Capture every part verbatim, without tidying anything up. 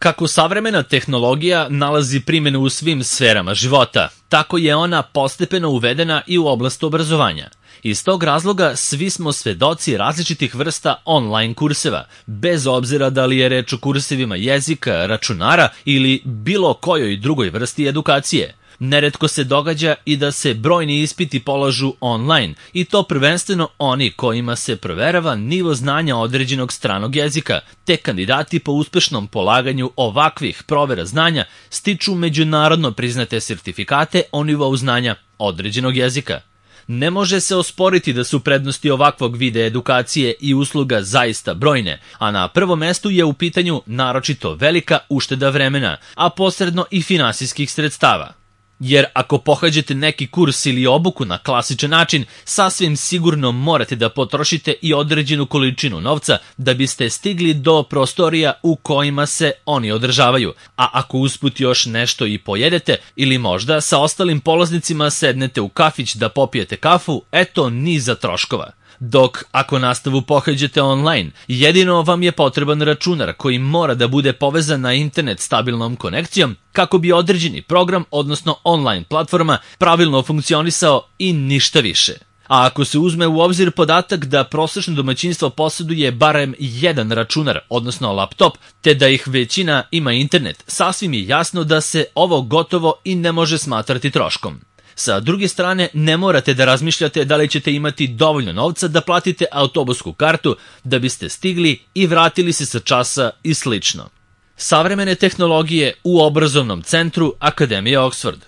Kako savremena tehnologija nalazi primjenu u svim sferama života, tako je ona postepeno uvedena i u oblast obrazovanja. Iz tog razloga svi smo svedoci različitih vrsta online kurseva, bez obzira da li je reč o kursevima jezika, računara ili bilo kojoj drugoj vrsti edukacije. Neretko se događa i da se brojni ispiti polažu online, i to prvenstveno oni kojima se proverava nivo znanja određenog stranog jezika, te kandidati po uspešnom polaganju ovakvih provera znanja stiču međunarodno priznate sertifikate o nivou znanja određenog jezika. Ne može se osporiti da su prednosti ovakvog vida edukacije i usluga zaista brojne, a na prvom mestu je u pitanju naročito velika ušteda vremena, a posredno i finansijskih sredstava. Jer ako pohađate neki kurs ili obuku na klasičan način, sasvim sigurno morate da potrošite i određenu količinu novca da biste stigli do prostorija u kojima se oni održavaju. A ako usput još nešto i pojedete ili možda sa ostalim polaznicima sednete u kafić da popijete kafu, eto niza troškova. Dok ako nastavu pohađate online, jedino vam je potreban računar koji mora da bude povezan na internet stabilnom konekcijom kako bi određeni program, odnosno online platforma, pravilno funkcionisao i ništa više. A ako se uzme u obzir podatak da prosečno domaćinstvo posjeduje barem jedan računar, odnosno laptop, te da ih većina ima internet, sasvim je jasno da se ovo gotovo i ne može smatrati troškom. Sa druge strane, ne morate da razmišljate da li ćete imati dovoljno novca da platite autobusku kartu da biste stigli i vratili se sa časa i slično. Savremene tehnologije u obrazovnom centru Akademije Oxford.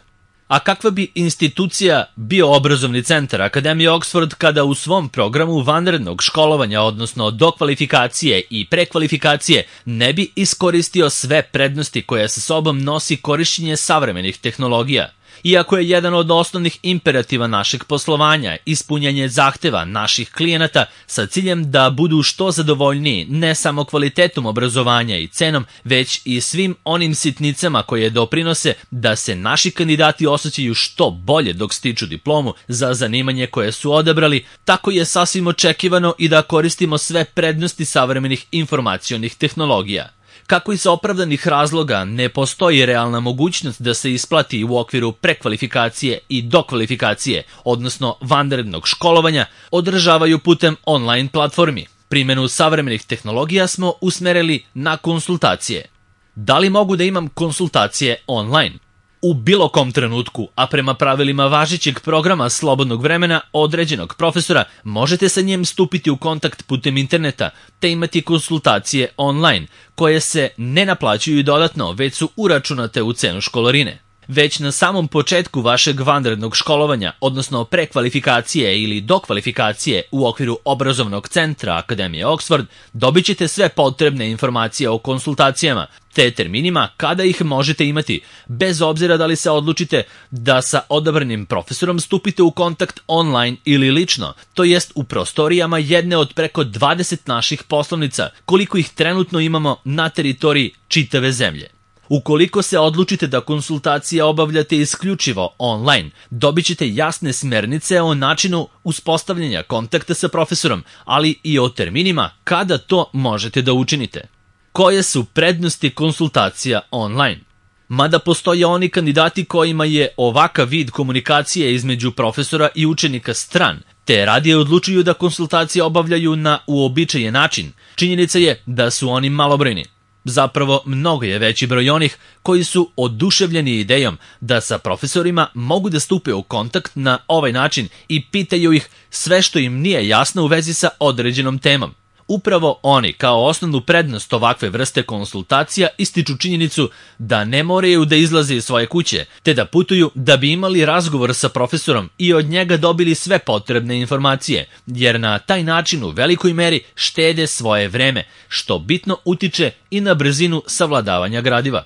A kakva bi institucija bio obrazovni centar Akademije Oxford kada u svom programu vanrednog školovanja, odnosno dokvalifikacije i prekvalifikacije, ne bi iskoristio sve prednosti koje sa sobom nosi korišćenje savremenih tehnologija? Iako je jedan od osnovnih imperativa našeg poslovanja ispunjanje zahteva naših klijenata sa ciljem da budu što zadovoljniji ne samo kvalitetom obrazovanja i cenom, već i svim onim sitnicama koje doprinose da se naši kandidati osjećaju što bolje dok stiču diplomu za zanimanje koje su odabrali, tako je sasvim očekivano i da koristimo sve prednosti savremenih informacionih tehnologija. Kako iz opravdanih razloga ne postoji realna mogućnost da se isplati u okviru prekvalifikacije i dokvalifikacije, odnosno vanrednog školovanja, održavaju putem online platformi. Primjenu savremenih tehnologija smo usmerili na konsultacije. Da li mogu da imam konsultacije online? U bilo kom trenutku, a prema pravilima važećeg programa slobodnog vremena određenog profesora, možete sa njim stupiti u kontakt putem interneta te imati konsultacije online, koje se ne naplaćuju dodatno, već su uračunate u cenu školarine. Već na samom početku vašeg vanrednog školovanja, odnosno prekvalifikacije ili dokvalifikacije u okviru obrazovnog centra Akademije Oxford, dobit ćete sve potrebne informacije o konsultacijama, te terminima kada ih možete imati, bez obzira da li se odlučite da sa odabranim profesorom stupite u kontakt online ili lično, to jest u prostorijama jedne od preko dvadeset naših poslovnica, koliko ih trenutno imamo na teritoriji čitave zemlje. Ukoliko se odlučite da konsultacije obavljate isključivo online, dobit ćete jasne smernice o načinu uspostavljanja kontakta sa profesorom, ali i o terminima kada to možete da učinite. Koje su prednosti konsultacija online? Mada postoje oni kandidati kojima je ovakav vid komunikacije između profesora i učenika stran, te radije odlučuju da konsultacije obavljaju na uobičajen način, činjenica je da su oni malobrojni. Zapravo, mnogo je veći broj onih koji su oduševljeni idejom da sa profesorima mogu da stupe u kontakt na ovaj način i pitaju ih sve što im nije jasno u vezi sa određenom temom. Upravo oni, kao osnovnu prednost ovakve vrste konsultacija, ističu činjenicu da ne moraju da izlaze iz svoje kuće, te da putuju da bi imali razgovor sa profesorom i od njega dobili sve potrebne informacije, jer na taj način u velikoj meri štede svoje vreme, što bitno utiče i na brzinu savladavanja gradiva.